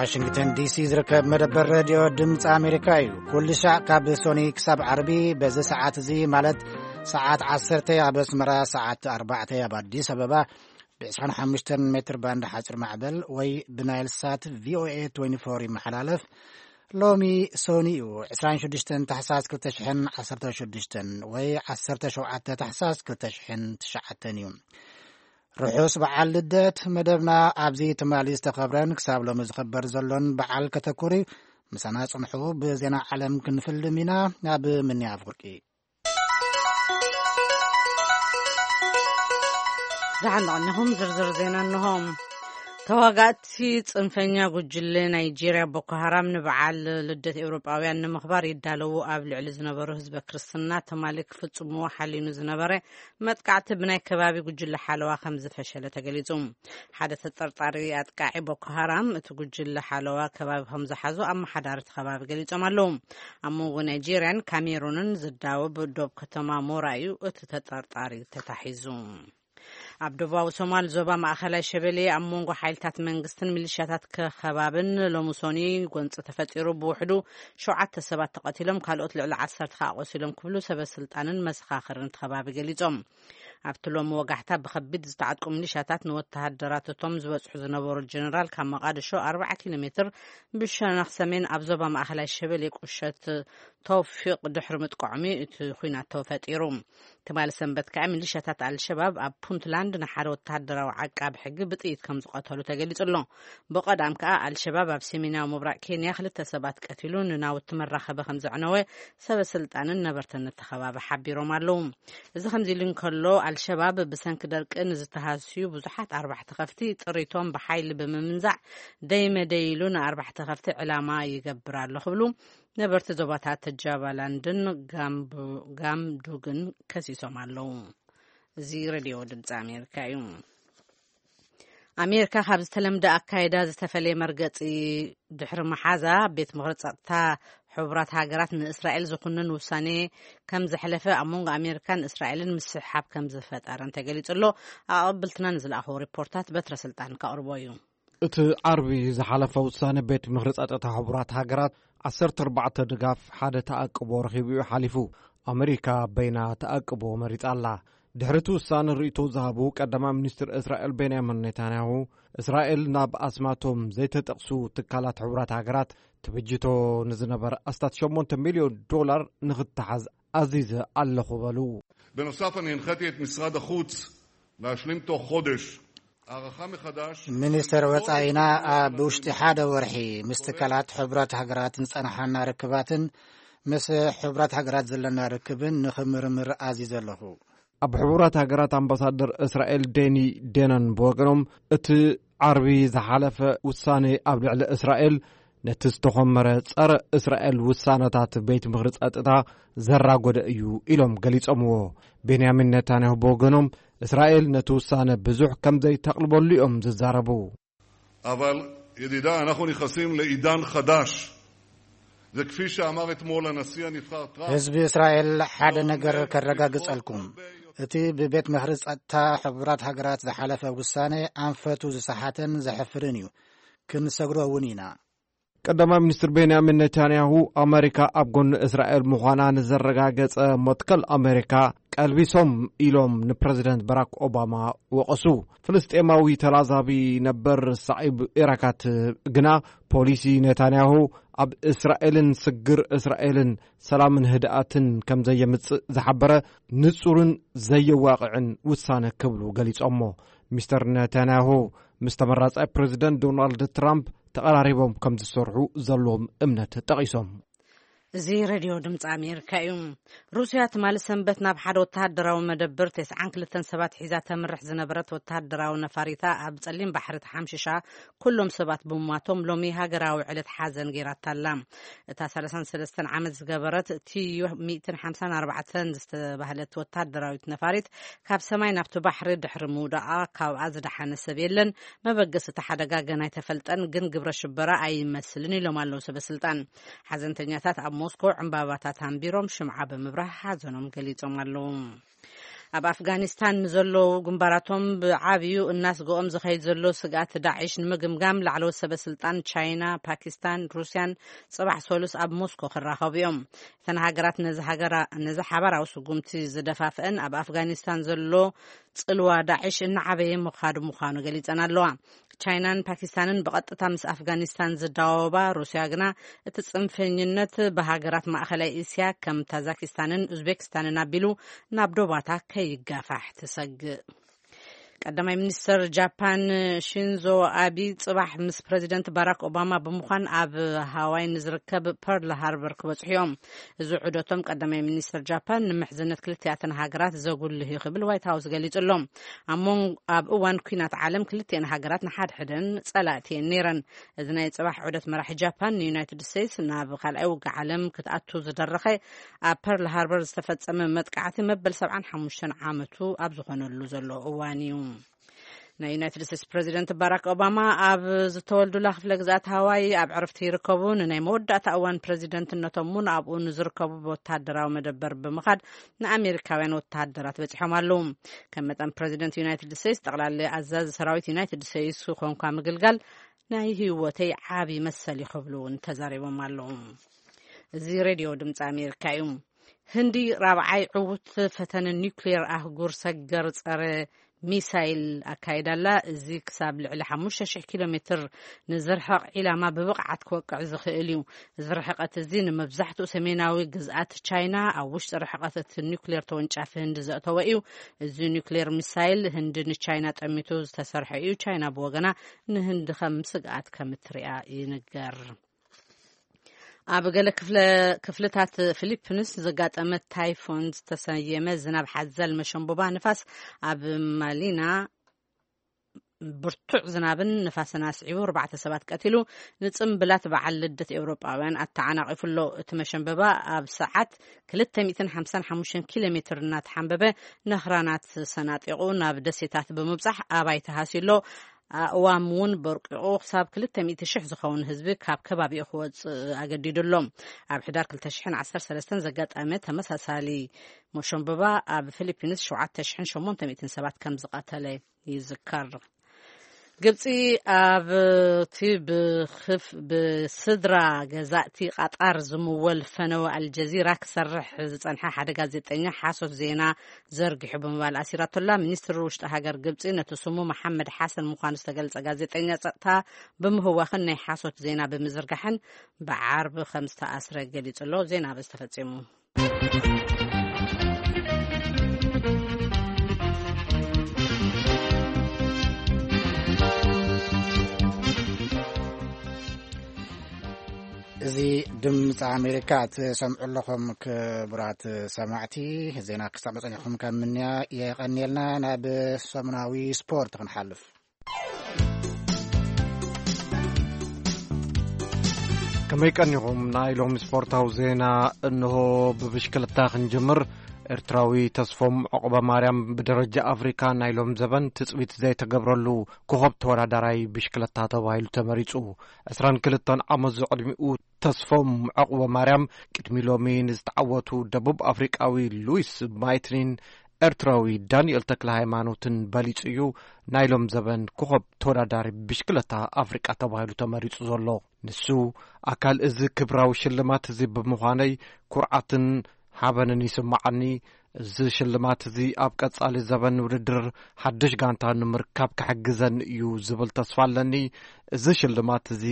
ዋሽንግተን ዲሲ ዝርከብ መደበር ሬድዮ ድምፂ ኣሜሪካ እዩ። ኩሉ ሻዕ ካብ ሶኒ ክሳብ ዓርቢ በዚ ሰዓት እዚ፣ ማለት ሰዓት ዓሰርተ ኣብ ኣስመራ፣ ሰዓት ኣርባዕተ ኣብ ኣዲስ ኣበባ፣ ብ ዕስራን ሓሙሽተን ሜትር ባንድ ሓፂር ማዕበል ወይ ብናይል ሳት ቪኦኤ ትዌንቲ ፎር ይመሓላለፍ። ሎሚ ሶኒ እዩ፣ ዕስራን ሽዱሽተን ታሕሳስ ክልተ ሽሕን ዓሰርተ ሽዱሽተን ወይ ዓሰርተ ሸውዓተ ታሕሳስ ክልተ ሽሕን ትሽዓተን እዩ። ርሑስ በዓል ልደት። መደብና ኣብዚ ትማሊ ዝተኸብረን ክሳብ ሎሚ ዝኽበር ዘሎን በዓል ከተኩሪ ምሳና ጽንሑ። ብዜና ዓለም ክንፍልም ኢና። ናብ ምንያ ኣፍወርቂ። ዝሓንቐኒኹም ዝርዝር ዜና እንሆ። ተዋጋእቲ ጽንፈኛ ጉጅለ ናይጄርያ ቦኮ ሃራም ንበዓል ልደት ኤውሮጳውያን ንምኽባር ይዳለዉ ኣብ ልዕሊ ዝነበሩ ህዝበ ክርስትና ትማሊ ክፍጽምዎ ሓሊኑ ዝነበረ መጥቃዕቲ ብናይ ከባቢ ጉጅለ ሓለዋ ከም ዝፈሸለ ተገሊጹ። ሓደ ተጠርጣሪ ኣጥቃዒ ቦኮ ሃራም፣ እቲ ጉጅለ ሓለዋ ከባቢ ከም ዝሓዞ ኣመሓዳሪ እቲ ከባቢ ገሊጾም ኣለዉ። ኣብ መንጎ ናይጄርያን ካሜሩንን ዝዳወብ ዶብ ከተማ ሞራ እዩ እቲ ተጠርጣሪ ተታሒዙ። ኣብ ደቡባዊ ሶማል ዞባ ማእኸላይ ሸበሌ ኣብ መንጎ ሓይልታት መንግስትን ሚሊሻታት ከባብን ሎሚ ሶኒ ጎንፂ ተፈጢሩ። ብውሕዱ ሸውዓተ ሰባት ተቐቲሎም፣ ካልኦት ልዕሊ ዓሰርተ ከዓ ቆሲሎም ክብሉ ሰበ ስልጣንን መሰኻኽርን እቲ ከባቢ ገሊጾም። ኣብቲ ሎሚ ወጋሕታ ብኸቢድ ዝተዓጥቁ ሚሊሻታት ንወተሃደራት እቶም ዝበጽሑ ዝነበሩ ጀነራል ካብ መቓድሾ ኣርባዓ ኪሎ ሜትር ብሸነኽ ሰሜን ኣብ ዞባ ማእኸላይ ሸበሌ ቁሸት ተውፊቕ ድሕሪ ምጥቃዖም እዩ እቲ ኲናት ተፈጢሩ። ትማሊ ሰንበት ከዓ ሚሊሻታት ኣልሸባብ ኣብ ፑንትላንድ ንሓደ ወተሃደራዊ ዓቃቢ ሕጊ ብጥይት ከም ዝቐተሉ ተገሊጹ ኣሎ። ብቐዳም ከዓ ኣልሸባብ ኣብ ሰሜናዊ ምብራቕ ኬንያ ክልተ ሰባት ቀቲሉ ንናውቲ መራኸቢ ከም ዘዕነወ ሰበ ስልጣንን ነበርትን እቲ ከባቢ ሓቢሮም ኣለዉ። እዚ ከምዚ ኢሉ እንከሎ፣ ኣልሸባብ ብሰንኪ ደርቂ ንዝተሃስዩ ብዙሓት ኣርባሕቲ ከፍቲ ጥሪቶም ብሓይሊ ብምምንዛዕ፣ ደይ መደይ ኢሉ ንኣርባሕቲ ከፍቲ ዕላማ ይገብር ኣሎ ክብሉ ነበርቲ ዞባታት ጃባላንድን ጋምቡ-፣ ጋምዱግን ከሲሶም ኣለዉ። እዚ ሬድዮ ድምፂ ኣሜሪካ እዩ። ኣሜሪካ ካብ ዝተለምደ ኣካይዳ ዝተፈለየ መርገፂ ድሕሪ መሓዛ፣ ቤት ምኽሪ ጸጥታ ሕቡራት ሃገራት ንእስራኤል ዝኹንን ውሳኔ ከም ዘሕለፈ፣ ኣብ መንጎ ኣሜሪካን እስራኤልን ምስሕሓብ ከም ዝፈጠረን ተገሊጹ ኣሎ። ኣቐብልትና ንዝለኣኽዎ ሪፖርታት በትረ ስልጣን ከቕርቦ እዩ። እቲ ዓርቢ ዝሓለፈ ውሳነ ቤት ምኽሪ ጸጥታ ሕቡራት ሃገራት ዓሰርተ ኣርባዕተ ድጋፍ፣ ሓደ ተኣቅቦ ረኺቡ እዩ ሓሊፉ። ኣመሪካ በይና ተኣቅቦ መሪጻ ኣላ። ድሕሪ እቲ ውሳነ ርእይቶ ዝሃቡ ቀዳማይ ሚኒስትር እስራኤል ቤንያሚን ኔታንያሁ፣ እስራኤል ናብ ኣስማቶም ዘይተጠቕሱ ትካላት ሕቡራት ሃገራት ትብጅቶ ንዝነበረ ኣስታት ሸሞንተ ሚልዮን ዶላር ንኽተሓዝ ኣዚዘ ኣለኹ በሉ። בנוסף, אני הנחיתי את משרד החוץ להשלים תוך חודש הערכה מחדש. ሚኒስትር ወጻኢና ኣብ ውሽጢ ሓደ ወርሒ ምስ ትካላት ሕቡራት ሃገራት ዝጸናሓና ርክባትን ምስ ሕቡራት ሃገራት ዘለና ርክብን ንኽምርምር ኣዚዘ ኣለኹ። ኣብ ሕቡራት ሃገራት ኣምባሳደር እስራኤል ዴኒ ዴነን ብወገኖም፣ እቲ ዓርቢ ዝሓለፈ ውሳነ ኣብ ልዕሊ እስራኤል ነቲ ዝተኾመረ ጸረ እስራኤል ውሳነታት ቤት ምኽሪ ጸጥታ ዘራጎደ እዩ ኢሎም ገሊጾምዎ። ቤንያሚን ኔታንያሁ ብወገኖም፣ እስራኤል ነቲ ውሳነ ብዙሕ ከም ዘይተቕልበሉ እዮም ዝዛረቡ። אבל ידידי, אנחנו נכנסים לעידן חדש. זה כפי שאמר אתמול הנשיא הנבחר טראמפ. ህዝቢ እስራኤል ሓደ ነገር ከረጋግጸልኩም። እቲ ብቤት ምኽሪ ጸጥታ ሕቡራት ሃገራት ዝሓለፈ ውሳነ ኣንፈቱ ዝሰሓተን ዘሕፍርን እዩ። ክንሰግሮ እውን ኢና። ቀዳማይ ሚኒስትር ቤንያሚን ኔታንያሁ፣ ኣመሪካ ኣብ ጎኒ እስራኤል ምዃና ንዘረጋገጸ መትከል ኣመሪካ ቀልቢሶም ኢሎም ንፕረዚደንት ባራክ ኦባማ ወቐሱ። ፍልስጤማዊ ተላዛቢ ነበር ሳዒብ ኤራካት ግና፣ ፖሊሲ ኔታንያሁ ኣብ እስራኤልን ስግር እስራኤልን ሰላምን ህድኣትን ከም ዘየምጽእ ዝሓበረ ንጹርን ዘየዋቕዕን ውሳነ ክብሉ ገሊጾሞ። ሚስተር ኔታንያሁ ምስ ተመራጻይ ፕረዚደንት ዶናልድ ትራምፕ ተቐራሪቦም ከም ዝሰርሑ ዘለዎም እምነት ጠቒሶም። እዚ ሬድዮ ድምፂ ኣሜሪካ እዩ። ሩስያ ትማሊ ሰንበት ናብ ሓደ ወተሃደራዊ መደብር ተስዓን ክልተን ሰባት ሒዛ ተምርሕ ዝነበረት ወተሃደራዊ ነፋሪታ ኣብ ጸሊም ባሕሪ ተሓምሽሻ፣ ኩሎም ሰባት ብምሟቶም ሎሚ ሃገራዊ ዕለት ሓዘን ገይራታ ኣላ። እታ ሰላሳን ሰለስተን ዓመት ዝገበረት ቲዩ ሚእትን ሓምሳን ኣርባዕተን ዝተባህለት ወተሃደራዊት ነፋሪት ካብ ሰማይ ናብቲ ባሕሪ ድሕሪ ምውዳቓ ካብኣ ዝደሓነ ሰብ የለን። መበገሲ እቲ ሓደጋ ገና ኣይተፈልጠን፣ ግን ግብረ ሽበራ ኣይመስልን ኢሎም ኣለዉ ሰበ ስልጣን። ሓዘንተኛታት ኣብ ሞስኮ ዕምባባታት ኣንቢሮም ሽምዓ ብምብራህ ሓዘኖም ገሊጾም ኣለዉ። ኣብ ኣፍጋኒስታን ንዘለዉ ግንባራቶም ብዓብዩ እናስግኦም ዝኸይድ ዘሎ ስግኣት ዳዒሽ ንምግምጋም ላዕለዎት ሰበ ስልጣን ቻይና፣ ፓኪስታን፣ ሩስያን ጽባሕ ሰሉስ ኣብ ሞስኮ ክራኸቡ እዮም። እተን ሃገራት ነዚ ሃገራ-፣ ነዚ ሓባራዊ ስጉምቲ ዝደፋፍአን ኣብ ኣፍጋኒስታን ዘሎ ጽልዋ ዳዒሽ እናዓበየ ምዃዱ ምዃኑ ገሊጸን ኣለዋ። ቻይናን ፓኪስታንን ብቐጥታ ምስ ኣፍጋኒስታን ዝዳወባ፣ ሩስያ ግና እቲ ጽንፈኝነት ብሃገራት ማእኸላይ እስያ ከም ታዛኪስታንን ኡዝቤክስታንን ኣቢሉ ናብ ዶባታ ከይጋፋሕ ትሰግእ። ቀዳማይ ሚኒስተር ጃፓን ሺንዞ ኣቢ ጽባሕ ምስ ፕረዚደንት ባራክ ኦባማ ብምዃን ኣብ ሃዋይ ንዝርከብ ፐርል ሃርበር ክበጽሑ እዮም። እዚ ዑደቶም ቀዳማይ ሚኒስተር ጃፓን ንምሕዝነት ክልቲኣተን ሃገራት ዘጉልህ እዩ ክብል ዋይት ሃውስ ገሊጹ ኣሎ። ኣብ ሞን-፣ ኣብ እዋን ኲናት ዓለም ክልቲአን ሃገራት ንሓድሕደን ጸላእቲ እየን ነይረን። እዚ ናይ ጽባሕ ዑደት መራሒ ጃፓን ንዩናይትድ ስቴትስ ናብ ካልኣይ ውግእ ዓለም ክትኣቱ ዝደረኸ ኣብ ፐርል ሃርበር ዝተፈጸመ መጥቃዕቲ መበል ሰብዓን ሓሙሽተን ዓመቱ ኣብ ዝኾነሉ ዘሎ እዋን እዩ። ናይ ዩናይትድ ስቴትስ ፕረዚደንት ባራክ ኦባማ ኣብ ዝተወልዱላ ክፍለ ግዝኣት ሃዋይ ኣብ ዕረፍቲ ይርከቡ። ንናይ መወዳእታ እዋን ፕረዚደንትነቶም እውን ኣብኡ ንዝርከቡ ወታደራዊ መደበር ብምኻድ ንኣሜሪካውያን ወታደራት በጺሖም ኣለዉ። ከም መጠን ፕረዚደንት ዩናይትድ ስቴትስ፣ ጠቕላሊ ኣዛዚ ሰራዊት ዩናይትድ ስቴትስ ኮንኳ ምግልጋል ናይ ህይወተይ ዓቢ መሰል እዩ ክብሉ እውን ተዛሪቦም ኣለዉ። እዚ ሬድዮ ድምፂ ኣሜሪካ እዩ። ህንዲ ራብዓይ ዕዉት ፈተነ ኒውክሌር ኣህጉር ሰገር ጸረ ሚሳይል ኣካይዳ ኣላ። እዚ ክሳብ ልዕሊ ሓሙሽተ ሽሕ ኪሎ ሜትር ንዝርሕቕ ዒላማ ብብቕዓት ክወቅዕ ዝኽእል እዩ። እዚ ርሕቀት እዚ ንመብዛሕትኡ ሰሜናዊ ግዝኣት ቻይና፣ ኣብ ውሽጢ ርሕቀት እቲ ኒውክሌር ተወንጫፊ ህንዲ ዘእተወ እዩ። እዚ ኒውክሌር ሚሳይል ህንዲ ንቻይና ጠሚቱ ዝተሰርሐ እዩ። ቻይና ብወገና ንህንዲ ከም ስግኣት ከም እትሪኣ ይንገር። ኣብ ገለ ክፍለ-፣ ክፍልታት ፊሊፒንስ ዘጋጠመ ታይፎን ዝተሰየመ ዝናብ ሓዘል መሸንቡባ ንፋስ ኣብ ማሊና ብርቱዕ ዝናብን ንፋስን ኣስዒቡ ኣርባዕተ ሰባት ቀቲሉ፣ ንጽምብላት በዓል ልደት ኤውሮጳውያን ኣተዓናቒፉ ኣሎ። እቲ መሸንበባ ኣብ ሰዓት ክልተ ሚእትን ሓምሳን ሓሙሽተን ኪሎ ሜትር እናተሓንበበ፣ ነኽራናት ሰናጢቑ ናብ ደሴታት ብምብጻሕ ኣባይቲ ሃስዩ ኣሎ። ኣእዋም እውን በርቂቑ ክሳብ ክልተ ሚእቲ ሽሕ ዝኸውን ህዝቢ ካብ ከባቢኡ ክወጽእ ኣገዲዱ ኣሎ። ኣብ ሕዳር ክልተ ሽሕን ዓሰርተ ሰለስተን ዘጋጠመ ተመሳሳሊ መሸንበባ ኣብ ፊሊፒንስ ሸውዓተ ሽሕን ሸሞንተ ሚእትን ሰባት ከም ዝቐተለ ይዝከር። ግብጺ ኣብቲ ብኽፍ-፣ ብስድራ ገዛእቲ ቃጣር ዝምወል ፈነወ ኣልጀዚራ ክሰርሕ ዝጸንሐ ሓደ ጋዜጠኛ ሓሶት ዜና ዘርጊሑ ብምባል ኣሲራቶላ። ሚኒስትሪ ውሽጢ ሃገር ግብጺ ነቲ ስሙ መሓመድ ሓሰን ምዃኑ ዝተገልጸ ጋዜጠኛ ጸጥታ ብምህዋኽን ናይ ሓሶት ዜና ብምዝርጋሕን ብዓርቢ ከም ዝተኣስረ ገሊጹ ኣሎ። ዜና በዚ ተፈጺሙ። እዚ ድምፂ ኣሜሪካ ትሰምዑ ኣለኹም። ክቡራት ሰማዕቲ፣ ዜና ክሳብ መፀኒኹም ካብ ምንያ የቐንየልና። ናብ ሰሙናዊ ስፖርት ክንሓልፍ። ከመይ ቀኒኹም? ናይ ሎሚ ስፖርታዊ ዜና እንሆ። ብብሽክለታ ክንጅምር። ኤርትራዊ ተስፎም ዑቕበ ማርያም ብደረጃ ኣፍሪካ ናይ ሎም ዘበን ትጽቢት ዘይተገብረሉ ኮኸብ ተወዳዳራይ ብሽክለታ ተባሂሉ ተመሪጹ። ዕስራን ክልተን ዓመት ዝዕድሚኡ ተስፎም ዑቕበ ማርያም ቅድሚ ሎሚ ንዝተዓወቱ ደቡብ ኣፍሪቃዊ ሉዊስ ማይትኒን ኤርትራዊ ዳንኤል ተክለ ሃይማኖትን በሊጹ እዩ ናይ ሎም ዘበን ኮኸብ ተወዳዳሪ ብሽክለታ ኣፍሪቃ ተባሂሉ ተመሪጹ ዘሎ። ንሱ ኣካል እዚ ክብራዊ ሽልማት እዚ ብምዃነይ ኩርዓትን ሓበንን ይስምዓኒ። እዚ ሽልማት እዚ ኣብ ቀጻሊ ዘበን ውድድር ሓድሽ ጋንታ ንምርካብ ክሕግዘኒ እዩ ዝብል ተስፋ ኣለኒ። እዚ ሽልማት እዚ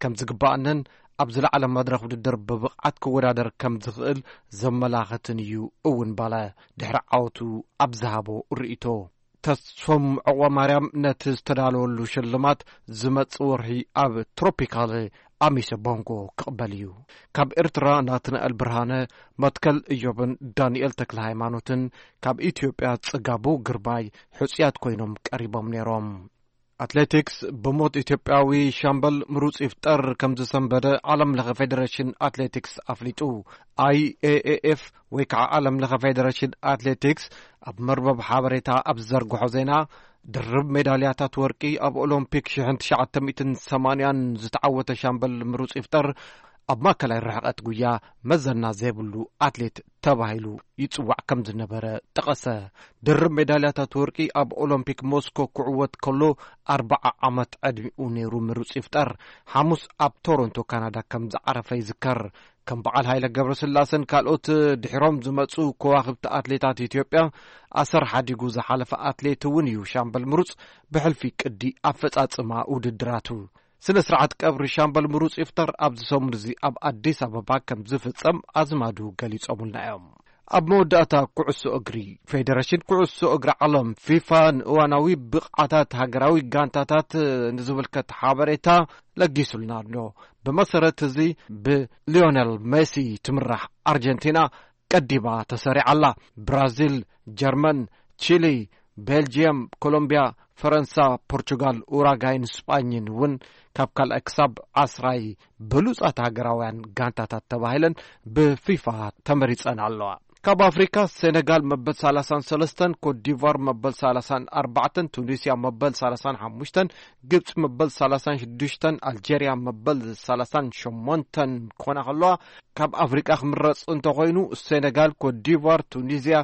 ከም ዝግባኣንን ኣብ ዝለዓለ መድረኽ ውድድር ብብቕዓት ክወዳደር ከም ዝኽእል ዘመላኽትን እዩ እውን ባለ ድሕሪ ዓወቱ ኣብ ዝሃቦ ርእይቶ። ተስፎም ዑቕበ ማርያም ነቲ ዝተዳለወሉ ሽልማት ዝመጽእ ወርሒ ኣብ ትሮፒካል ኣሚሰ ቦንጎ ክቕበል እዩ። ካብ ኤርትራ ናትናኤል ብርሃነ፣ መትከል እዮብን ዳንኤል ተክለ ሃይማኖትን፣ ካብ ኢትዮጵያ ጽጋቡ ግርማይ ሕጹያት ኮይኖም ቀሪቦም ነይሮም። ኣትሌቲክስ ብሞት ኢትዮጵያዊ ሻምበል ምሩጽ ይፍጠር ከም ዝሰንበደ ዓለም ለኸ ፌዴሬሽን ኣትሌቲክስ ኣፍሊጡ። ኣይ ኤ ኤ ኤፍ ወይ ከዓ ዓለም ለኸ ፌዴሬሽን ኣትሌቲክስ ኣብ መርበብ ሓበሬታ ኣብ ዝዘርግሖ ዜና፣ ድርብ ሜዳልያታት ወርቂ ኣብ ኦሎምፒክ ሽሕን ትሽዓተ ሚእትን ሰማንያን ዝተዓወተ ሻምበል ምሩጽ ይፍጠር ኣብ ማእከላይ ርሕቐት ጉያ መዘና ዘይብሉ ኣትሌት ተባሂሉ ይጽዋዕ ከም ዝነበረ ጠቐሰ። ድርብ ሜዳልያታት ወርቂ ኣብ ኦሎምፒክ ሞስኮ ክዕወት ከሎ ኣርብዓ ዓመት ዕድሚኡ ነይሩ ምሩጽ ይፍጠር። ሓሙስ ኣብ ቶሮንቶ ካናዳ ከም ዝዓረፈ ይዝከር። ከም በዓል ሃይለ ገብረስላሰን ካልኦት ድሒሮም ዝመጹ ከዋኽብቲ ኣትሌታት ኢትዮጵያ ኣሰር ሓዲጉ ዝሓለፈ ኣትሌት እውን እዩ ሻምበል ምሩጽ ብሕልፊ ቅዲ ኣፈጻጽማ ውድድራቱ። ስነ ስርዓት ቀብሪ ሻምበል ምሩጽ ይፍጠር ኣብዚ ሰሙን እዚ ኣብ ኣዲስ ኣበባ ከም ዝፍጸም ኣዝማዱ ገሊጾምልና እዮም። ኣብ መወዳእታ ኩዕሶ እግሪ፣ ፌደሬሽን ኩዕሶ እግሪ ዓለም ፊፋ ንእዋናዊ ብቕዓታት ሃገራዊ ጋንታታት ንዝምልከት ሓበሬታ ለጊሱልና ኣሎ። ብመሰረት እዚ ብሊዮነል ሜሲ ትምራሕ ኣርጀንቲና ቀዲማ ተሰሪዓ ኣላ። ብራዚል፣ ጀርመን፣ ቺሊ፣ ቤልጅየም፣ ኮሎምቢያ፣ ፈረንሳ፣ ፖርቹጋል፣ ኡራጋይን ስጳኝን እውን ካብ ካልኣይ ክሳብ ዓስራይ ብሉጻት ሃገራውያን ጋንታታት ተባሂለን ብፊፋ ተመሪጸን ኣለዋ። ካብ ኣፍሪካ ሴነጋል መበል ሰላሳን ሰለስተን፣ ኮትዲቫር መበል ሰላሳን ኣርባዕተን፣ ቱኒስያ መበል ሰላሳን ሓሙሽተን፣ ግብፂ መበል ሰላሳን ሽዱሽተን፣ ኣልጀርያ መበል ሰላሳን ሸሞንተን ክኾና ከለዋ፣ ካብ ኣፍሪቃ ክምረፅ እንተኾይኑ ሴነጋል፣ ኮትዲቫር፣ ቱኒዝያ፣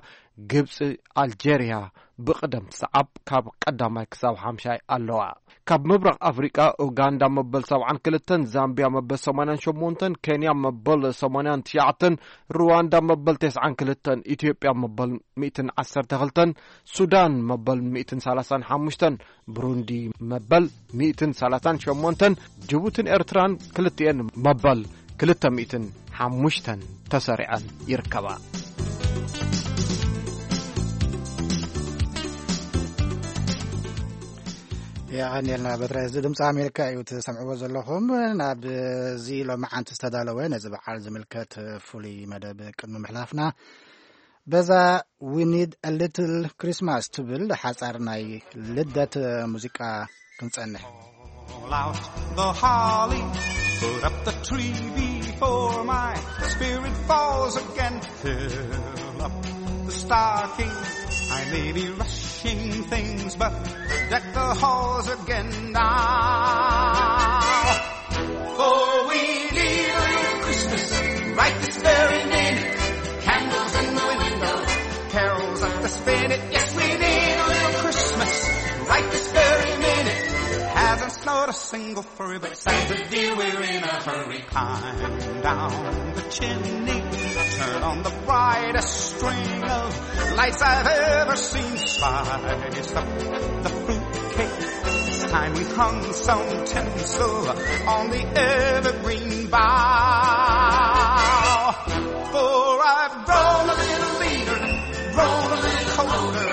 ግብፂ፣ ኣልጀርያ ብቅደም ሰዓብ ካብ ቀዳማይ ክሳብ ሓምሻይ ኣለዋ። ካብ ምብራቕ ኣፍሪቃ ኡጋንዳ መበል ሰብዓን ክልተን፣ ዛምቢያ መበል ሰማንያን ሸሞንተን፣ ኬንያ መበል ሰማንያን ትሽዓተን፣ ሩዋንዳ መበል ተስዓን ክልተን፣ ኢትዮጵያ መበል ሚእትን ዓሰርተ ክልተን፣ ሱዳን መበል ሚእትን ሰላሳን ሓሙሽተን፣ ብሩንዲ መበል ሚእትን ሰላሳን ሸሞንተን፣ ጅቡትን ኤርትራን ክልቲኤን መበል ክልተ ሚእትን ሓሙሽተን ተሰሪዐን ይርከባ። የቐንየልና በትረ። እዚ ድምፂ ኣሜሪካ እዩ ትሰምዕዎ ዘለኹም። ናብዚ ሎማዓንቲ ዝተዳለወ ነዚ በዓል ዝምልከት ፍሉይ መደብ ቅድሚ ምሕላፍና፣ በዛ We Need a Little Christmas ትብል ሓፃር ናይ ልደት ሙዚቃ ክንፀንሕ። Pull out the holly, put up the tree before my spirit falls again. Fill up the stocking, I may be rushing things, but deck the halls again now. For we need a little Christmas right this very minute. Candles in the window, carols at the spinet. Yes, we need a little Christmas right this very minute. Hasn't snowed a single furry, but Santa dear, we're in a hurry. Climb down the chimney, turn on the brightest string of lights I've ever seen. Spice up the fruitcake. It's time we hung some tinsel on the evergreen bough. For I've grown a little leaner, grown a little colder,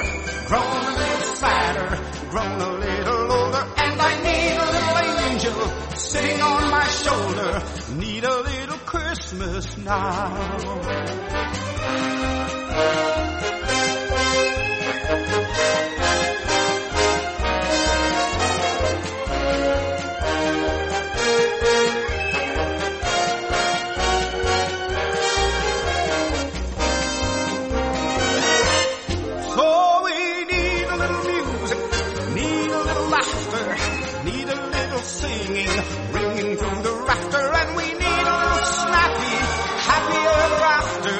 grown a little sadder, grown a little older, and I need a little angel sitting on my shoulder. Need a little Christmas now. So we need a little music, need a little laughter, need a little singing, ringing through the rafter, and we need a little snappy, happy ever after.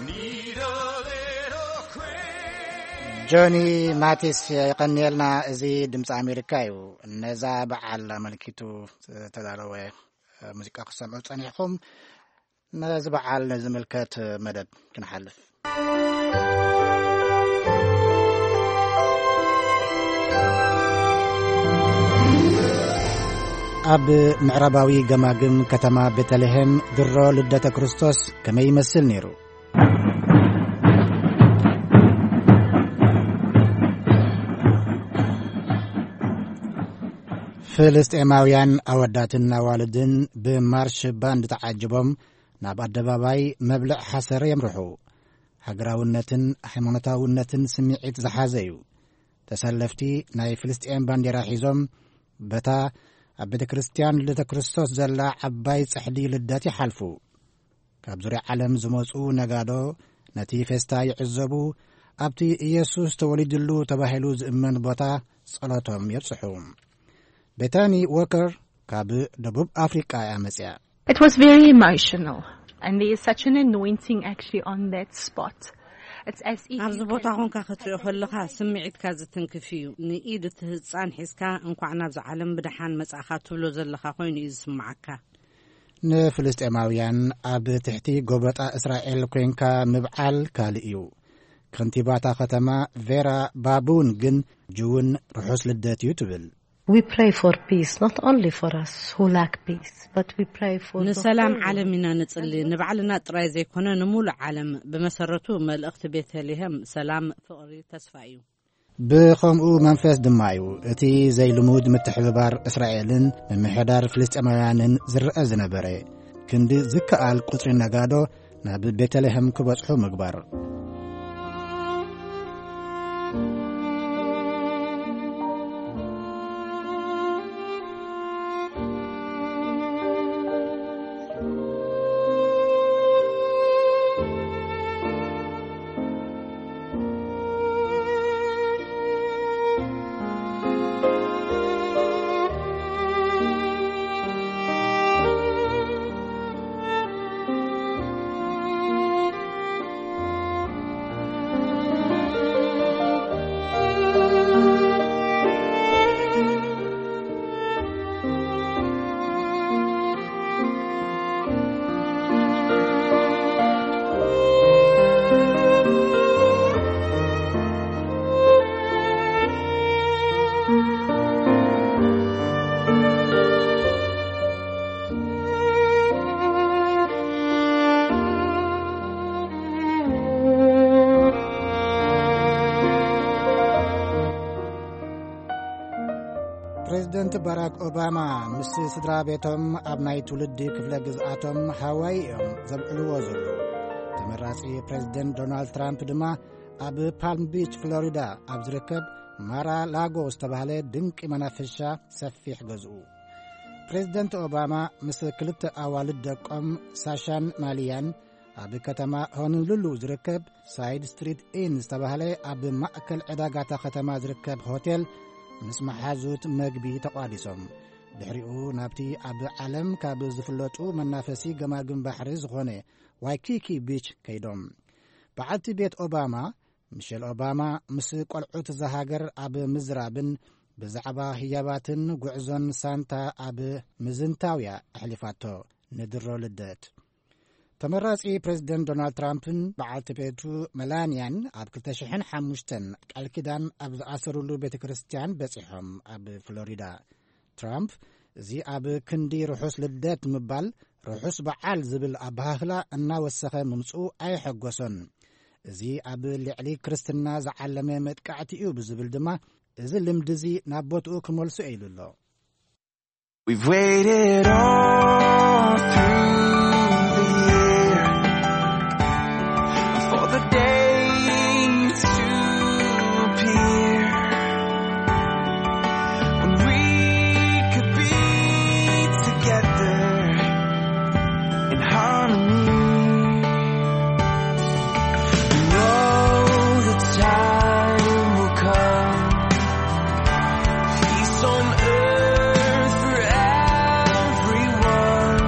Need a little Christmas. ጆኒ ማቲስ የቐንየልና። እዚ ድምፂ ኣሜሪካ እዩ። ነዛ በዓል ኣመልኪቱ ዝተዳለወ ሙዚቃ ክሰምዑ ጸኒሕኹም። ነዚ በዓል ንዝምልከት መደብ ክንሓልፍ። ኣብ ምዕራባዊ ገማግም ከተማ ቤተልሔም ድሮ ልደተ ክርስቶስ ከመይ ይመስል ነይሩ? ፍልስጤማውያን ኣወዳትን ኣዋልድን ብማርሽ ባንድ ተዓጅቦም ናብ ኣደባባይ መብልዕ ሓሰር የምርሑ። ሃገራውነትን ሃይማኖታውነትን ስምዒት ዝሓዘ እዩ። ተሰለፍቲ ናይ ፍልስጤም ባንዴራ ሒዞም በታ ኣብ ቤተ ክርስቲያን ልደተ ክርስቶስ ዘላ ዓባይ ጽሕዲ ልደት ይሓልፉ። ካብ ዙርያ ዓለም ዝመጹ ነጋዶ ነቲ ፌስታ ይዕዘቡ፣ ኣብቲ ኢየሱስ ተወሊድሉ ተባሂሉ ዝእመን ቦታ ጸሎቶም የብጽሑ። ቤታኒ ዎከር ካብ ደቡብ ኣፍሪቃ እያ መጽያ። It was very emotional, and there is such an anointing actually on that spot. It's as if ኣብዚ you ቦታ can ኮንካ ክትሪኦ ከለኻ ስምዒትካ ዝትንክፍ እዩ። ንኢድ እቲ ህጻን ሒዝካ፣ "እንኳዕ ናብዚ ዓለም ብደሓን መጻእካ" ትብሎ ዘለኻ ኮይኑ እዩ ዝስምዓካ። ንፍልስጤማውያን ኣብ ትሕቲ ጎበጣ እስራኤል ኮንካ ምብዓል ካልእ እዩ። ከንቲባታ ከተማ ቬራ ባቡን ግን ጅውን ርሑስ ልደት እዩ ትብል። We pray for peace, not only for us who lack peace, but we pray for the ንሰላም whole ዓለም ኢና ንጽሊ። ንባዕልና ጥራይ ዘይኮነ፣ ንምሉእ ዓለም። ብመሰረቱ፣ መልእኽቲ ቤተልሔም ሰላም፣ ፍቕሪ፣ ተስፋ እዩ። ብኸምኡ መንፈስ ድማ እዩ እቲ ዘይልሙድ ምትሕብባር እስራኤልን ምምሕዳር ፍልስጤማውያንን ዝረአ ዝነበረ። ክንዲ ዝከኣል ቁጽሪ ነጋዶ ናብ ቤተልሔም ክበጽሑ ምግባር። ፕሬዚደንት ባራክ ኦባማ ምስ ስድራ ቤቶም ኣብ ናይ ትውልዲ ክፍለ ግዝኣቶም ሃዋይ እዮም ዘብዕልዎ ዘለዉ። ተመራጺ ፕሬዚደንት ዶናልድ ትራምፕ ድማ ኣብ ፓልም ቢች ፍሎሪዳ ኣብ ዝርከብ ማራ ላጎ ዝተባህለ ድንቂ መናፈሻ ሰፊሕ ገዝኡ። ፕሬዚደንት ኦባማ ምስ ክልተ ኣዋልድ ደቆም ሳሻን ማሊያን ኣብ ከተማ ሆኖሉሉ ዝርከብ ሳይድ ስትሪት ኢን ዝተባህለ ኣብ ማእከል ዕዳጋታ ከተማ ዝርከብ ሆቴል ምስ መሓዙት መግቢ ተቋዲሶም። ድሕሪኡ ናብቲ ኣብ ዓለም ካብ ዝፍለጡ መናፈሲ ገማግም ባሕሪ ዝኾነ ዋይኪኪ ቢች ከይዶም። በዓልቲ ቤት ኦባማ፣ ሚሼል ኦባማ፣ ምስ ቆልዑት እዛ ሃገር ኣብ ምዝራብን ብዛዕባ ህያባትን ጉዕዞን ሳንታ ኣብ ምዝንታውያ ኣሕሊፋቶ። ንድሮ ልደት ተመራጺ ፕሬዚደንት ዶናልድ ትራምፕን በዓልቲ ቤቱ መላንያን ኣብ ክልተ ሽሕን ሓሙሽተን ቃል ኪዳን ኣብ ዝኣሰሩሉ ቤተ ክርስቲያን በጺሖም። ኣብ ፍሎሪዳ ትራምፕ፣ እዚ ኣብ ክንዲ ርሑስ ልደት ምባል፣ ርሑስ በዓል ዝብል ኣበሃህላ እናወሰኸ ምምጽኡ ኣየሐጎሶን። እዚ ኣብ ልዕሊ ክርስትና ዝዓለመ መጥቃዕቲ እዩ ብዝብል ድማ፣ እዚ ልምዲ እዚ ናብ ቦትኡ ክመልሶ ኢሉ ኣሎ። We've waited all through the year for the day to appear when we could be together in harmony. We know the time will come, peace on earth for everyone.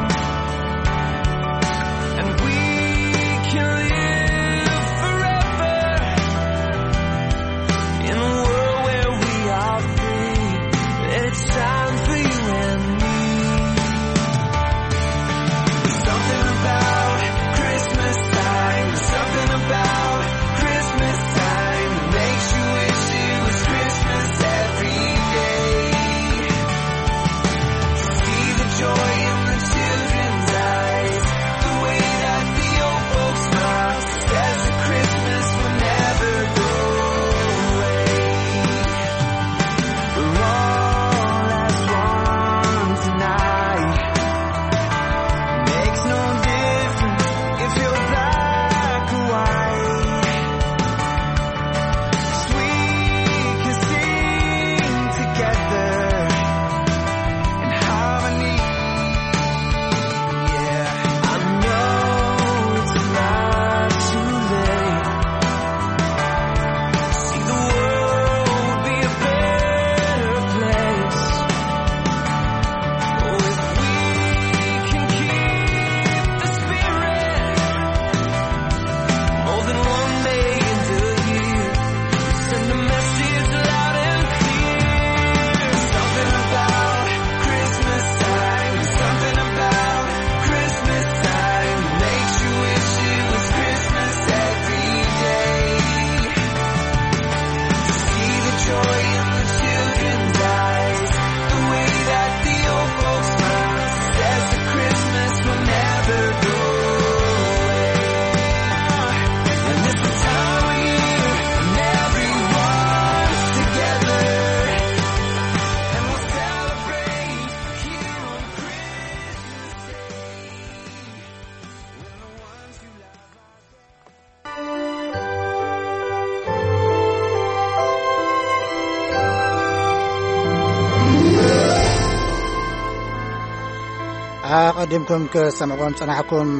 ቀዲምኩም ክሰምዕዎም ጸናሕኩም፣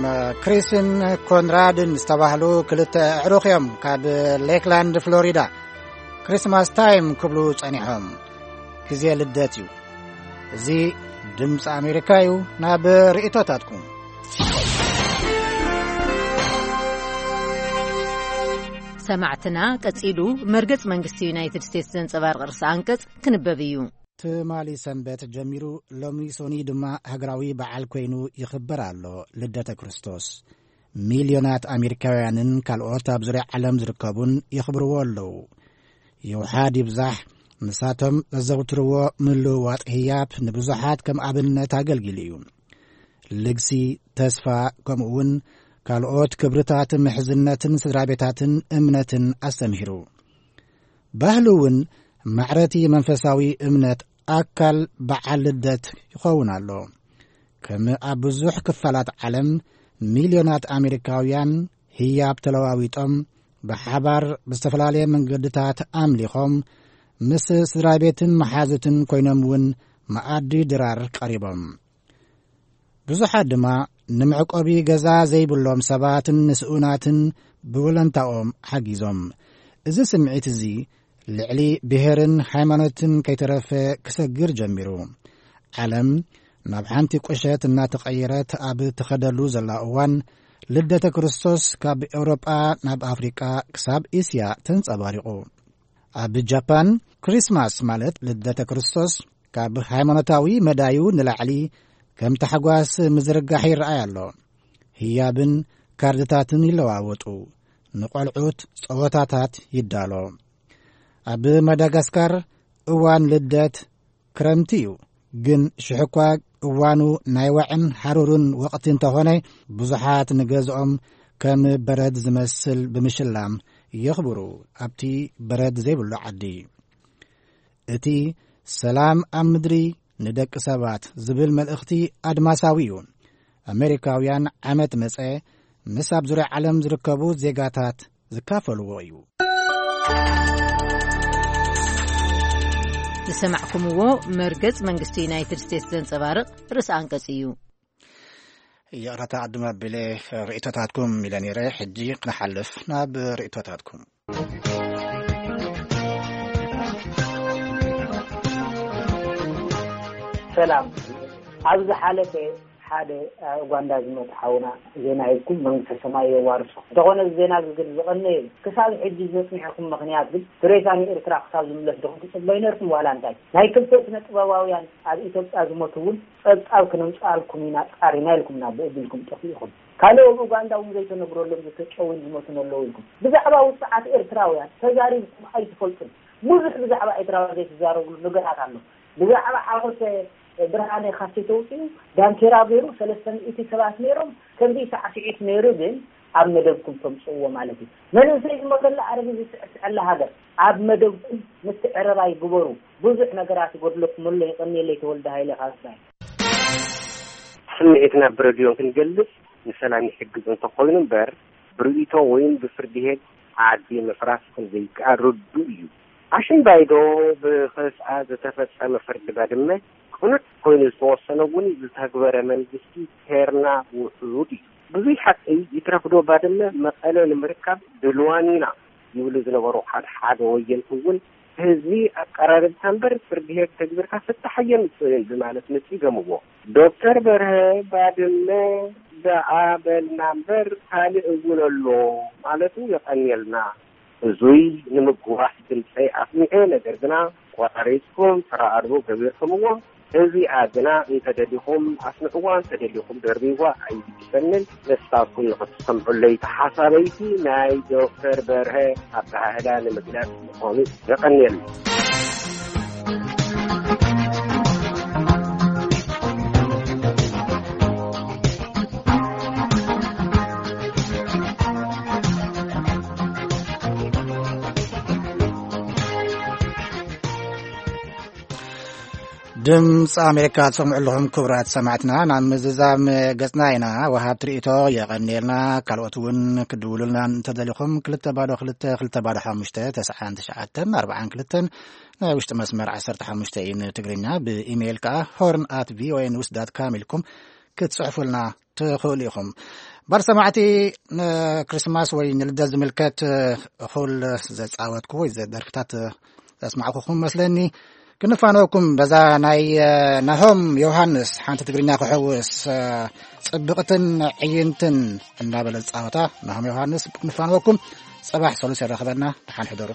ክሪስን ኮንራድን ዝተባህሉ ክልተ ኣዕሩኽ እዮም ካብ ሌክላንድ ፍሎሪዳ። ክሪስማስ ታይም ክብሉ ጸኒሖም። ግዜ ልደት እዩ። እዚ ድምፂ ኣሜሪካ እዩ። ናብ ርእቶታትኩም። ሰማዕትና፣ ቀጺሉ መርገጽ መንግስቲ ዩናይትድ ስቴትስ ዘንጸባርቕ ርእሰ ኣንቀጽ ክንበብ እዩ። ትማሊ ሰንበት ጀሚሩ ሎሚ ሶኒ ድማ ሃገራዊ በዓል ኮይኑ ይኽበር ኣሎ። ልደተ ክርስቶስ ሚልዮናት ኣሜሪካውያንን ካልኦት ኣብ ዙርያ ዓለም ዝርከቡን የኽብርዎ ኣለዉ። ይውሓድ ይብዛሕ፣ ንሳቶም ዘዘውትርዎ ምልውዋጥ ህያብ ንብዙሓት ከም ኣብነት ኣገልጊሉ እዩ። ልግሲ፣ ተስፋ፣ ከምኡ እውን ካልኦት ክብርታት ምሕዝነትን ስድራ ቤታትን እምነትን ኣስተምሂሩ። ባህሊ እውን ማዕረቲ መንፈሳዊ እምነት ኣካል በዓል ልደት ይኸውን ኣሎ። ከም ኣብ ብዙሕ ክፋላት ዓለም፣ ሚልዮናት ኣሜሪካውያን ህያብ ተለዋዊጦም፣ ብሓባር ብዝተፈላለየ መንገድታት ኣምሊኾም፣ ምስ ስድራ ቤትን መሓዙትን ኮይኖም እውን መኣዲ ድራር ቀሪቦም። ብዙሓት ድማ ንመዕቆቢ ገዛ ዘይብሎም ሰባትን ንስኡናትን ብወለንታኦም ሓጊዞም። እዚ ስምዒት እዚ ልዕሊ ብሄርን ሃይማኖትን ከይተረፈ ክሰግር ጀሚሩ። ዓለም ናብ ሓንቲ ቁሸት እናተቐየረት ኣብ ትኸደሉ ዘላ እዋን፣ ልደተ ክርስቶስ ካብ ኤውሮጳ ናብ ኣፍሪቃ ክሳብ እስያ ተንጸባሪቑ። ኣብ ጃፓን፣ ክሪስማስ ማለት ልደተ ክርስቶስ ካብ ሃይማኖታዊ መዳዩ ንላዕሊ ከም ታሕጓስ ምዝርጋሕ ይረኣይ ኣሎ። ህያብን ካርድታትን ይለዋወጡ፣ ንቖልዑት ጸወታታት ይዳሎ። ኣብ ማዳጋስካር እዋን ልደት ክረምቲ እዩ፣ ግን ሽሕኳ እዋኑ ናይ ዋዕን ሓሩርን ወቕቲ እንተኾነ፣ ብዙሓት ንገዝኦም ከም በረድ ዝመስል ብምሽላም የኽብሩ። ኣብቲ በረድ ዘይብሉ ዓዲ፣ እቲ ሰላም ኣብ ምድሪ ንደቂ ሰባት ዝብል መልእኽቲ ኣድማሳዊ እዩ። ኣሜሪካውያን ዓመት መጸ ምስ ኣብ ዙርያ ዓለም ዝርከቡ ዜጋታት ዝካፈልዎ እዩ። ዝሰማዕኩምዎ መርገጽ መንግስቲ ዩናይትድ ስቴትስ ዘንጸባርቕ ርእሰ ኣንቀጽ እዩ። ይቕረታ ቅድም ኣቢለ ርእቶታትኩም ኢለ ነይረ። ሕጂ ክንሓልፍ ናብ ርእቶታትኩም። ሰላም። ኣብ ዝሓለፈ ሓደ ኣብ ኡጋንዳ ዝሞተ ሓውና ዜና ሂብኩም መንግስተ ሰማይ የዋርሶ። እንተኾነ እዚ ዜና እዚ ግን ዝቐነየ እዩ። ክሳብ ሕጂ ዘጽኒሕኩም ምኽንያት ግን ሬሳ ንኤርትራ ክሳብ ዝምለስ ዶ ክትጽበዩ ነርኩም ዋላ እንታይ? ናይ ክልተ ስነ ጥበባውያን ኣብ ኢትዮጵያ ዝሞቱ እውን ጸብጻብ ክነምጽኣልኩም ኢና ጻሪና ኢልኩምና ብእድልኩም ጠፊእኹም። ካልእ ኣብ ኡጋንዳ እውን ዘይተነግረሎም ዝተጨውን ዝሞቱን ኣለዉ ኢልኩም። ብዛዕባ ውጽዓት ኤርትራውያን ተዛሪብኩም ኣይትፈልጡን። ብዙሕ ብዛዕባ ኤርትራውያን ዘይትዛረብሉ ነገራት ኣሎ። ብዛዕባ ሓወልቲ ብርሃነ ካብቲ ተውፅኡ ዳንኬራ ገይሩ ሰለስተ ሚእቲ ሰባት ነይሮም። ከምዚ ሳዕስዒት ነይሩ ግን ኣብ መደብኩም ተምፅእዎ ማለት እዩ። መንእሰይ ዝሞተላ ኣረጊት ዝስዕስዐላ ሃገር ኣብ መደብኩም ምትዕርራይ ግበሩ። ብዙሕ ነገራት ይጎድለኩም ኣሎ። የቐንየለይ ተወልደ ሃይለ ካብ ትግራይ። ስምዒትና ብረድዮን ክንገልጽ ንሰላም ይሕግዝ እንተኾይኑ እምበር ብርእይቶ ወይም ብፍርዲ ሄግ ዓዲ ምፍራስ ከም ዘይከኣል ርዱእ እዩ። ኣሽምባይዶ ብኸስኣ ዝተፈጸመ ፍርዲ ባድመ ቅኑዕ ኮይኑ ዝተወሰነ እውን ዝተግበረ መንግስቲ ሄርና ውሑድ እዩ። ብዙይ ሓቂ ይትረፍዶ ባድመ መቐለ ንምርካብ ድልዋን ኢና ይብሉ ዝነበሩ ሓደ ሓደ ወየንቲ እውን ህዝቢ ኣቀራርብካ እምበር ፍርዲ ሄግ ተግቢርካ ፍታሕ ኣየምፅእን ብማለት ነፂገምዎ። ዶክተር በርሀ ባድመ ደኣ በልና እምበር ካልእ እውን ኣሎ ማለቱ የቐንየልና። እዙይ ንምጉዋሕ ድምፀይ ኣስሚዐ፣ ነገር ግና ቆራሪፅኩም ፍረ ኣልቦ ገቢርኩምዎ። እዚኣ ግና እንተደሊኹም ኣስምዕዋ፣ እንተደሊኹም ደርብይዋ ኣይግድሰንን። ንስኻትኩም ንኽትሰምዑለይ ተሓሳበይቲ ናይ ዶክተር በርሀ ኣበሃህላ ንምግላጽ ምዃኑ የቐንየልና። ድምፂ ኣሜሪካ ትሰምዑ ኣለኹም ክቡራት ሰማዕትና። ናብ ምዝዛም ገፅና ኢና። ወሃብቲ ርእይቶ የቐንየልና። ካልኦት እውን ክድውሉልና እንተደሊኹም ክልተ ባዶ ክልተ ክልተ ባዶ ሓሙሽተ ተስዓን ትሽዓተን ኣርባዓን ክልተን ናይ ውሽጢ መስመር ዓሰርተ ሓሙሽተ እዩ። ንትግርኛ ብኢሜይል ከዓ ሆርን ኣት ቪኦኤ ኒውስ ዳት ካም ኢልኩም ክትጽሕፉልና ትኽእሉ ኢኹም። ባር ሰማዕቲ፣ ንክሪስማስ ወይ ንልደት ዝምልከት እኹል ዘጻወትኩ ወይ ዘደርፍታት ዘስማዕኩኹም መስለኒ። ክንፋነወኩም በዛ ናይ ናሆም ዮሃንስ ሓንቲ ትግርኛ ክሕውስ ጽብቕትን ዕይንትን እናበለ ዝጻወታ ናሆም ዮሃንስ ክንፋነወኩም። ጽባሕ ሰሉስ የራኽበና። ደሓን ሕደሩ።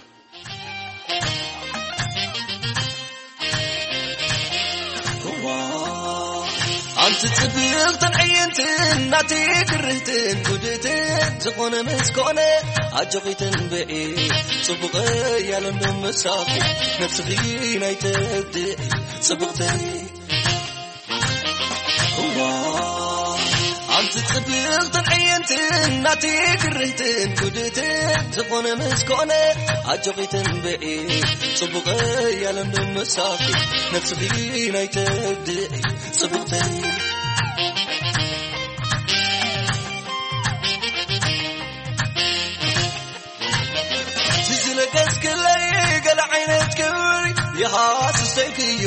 ኣንቲ ጽብቕትን ዕይንትን ናቲ ግርህትን ጉድእትን ዝኾነ ምስ ኮነ ኣጆኺ ትንብዒ ጽቡቕ እያለ እንዶ ምሳኺ ነብስኺ ናይ ተድዒ ጽብቕተይ እዋ ኣንቲ ጽብቕትን ዕይንትን ናቲ ግርህትን ጉድእትን ዝኾነ ምስ ኮነ ኣጆኺ ትንብዒ ጽቡቕ እያለ እንዶ ምሳኺ ነብስኺ ናይ ተድዒ ጽብቕተይ ዝለገስክለይ ገለ ዓይነት ክብሪ ይሃስሰይክዮ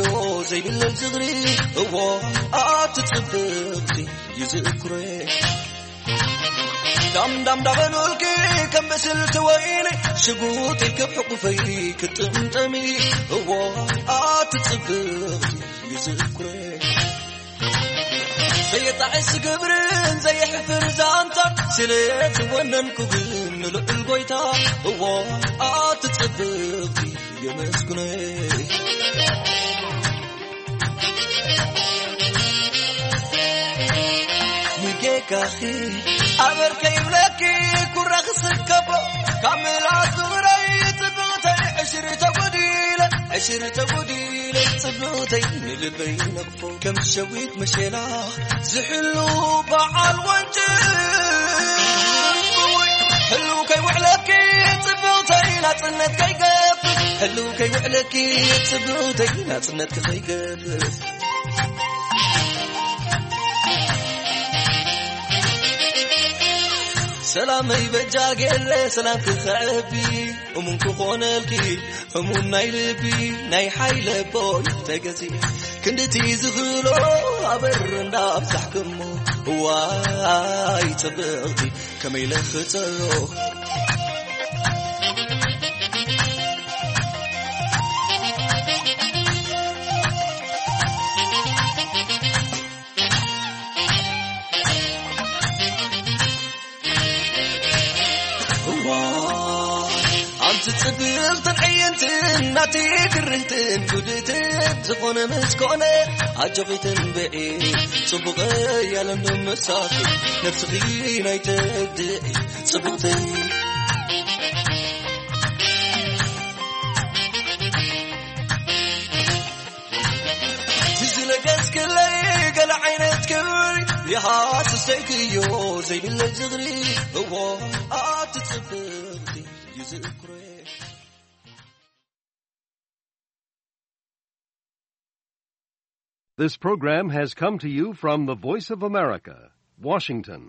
ዘይብለል ዝኽሪ እዎ ኣቲ ጽብቕቲ ይዝእኩረ ዳም ዳም ዳበሉልኪ ከም ብስልቲ ወይኒ ሽጉጥ ኢልክብ ሕቁፈይ ክትጥምጠሚ እዎ ኣቲ ጽብቕቲ ይዝእኩረ ዘየጣዕስ ግብርን ዘየሕፍር ዛንታ ስለ ዝወነንኩ ግን ንልዑል ጎይታ እዎ ኣቲ ጽብቕቲ የመስግነይ ንጌጋኺ ኣበር ከይብለኪ ኩራ ክስከቦ ካብ ምላስ ዙረይ ጽብቕተይ ዕሽሪ ተጎዲለ ዕሽሪ ተጎዲለ ጽብቕተይ ንልበይ ነቕፎ ከም ሸዊት መሸላ ዝሕሉ በዓል ወንጭ ህልው ከይውዕለኪ ጽብቕተይ ናጽነት ከይገፍ ህልው ከይውዕለኪ ጽብቕተይ ናጽነትኪ ከይገፍ ሰላመይ በጃ ገለ ሰላም ክኸዕቢ እሙን ክኾነልኪ እሙን ናይ ልቢ ናይ ሓይለ ቦይ ተገዚ ክንድቲ ዝኽእሎ ኣበር እንዳብዛሕክሞ እዋይ ጽብቕቲ ከመይ ለኽጸዮ እዋ ኣንቲ ጽብቕትን ዕይንትን ናቲ ግርህትን ጉድእትን ዝኾነ ምስ ኮነ ኣጆኺ ትንብዒ ጽቡቕ እያለ እንዶ ምሳኺ ነብስኺ ናይ ተድዒ ጽብቕተይ ዝለገስክለይ ገለ ዓይነት ክብሪ ይሃስሰይክዮ ዘይብለይ ዝኽሪ እዎ ኣቲ ጽብቕቲ ይዝእኩረ This program has come to you from the Voice of America, Washington.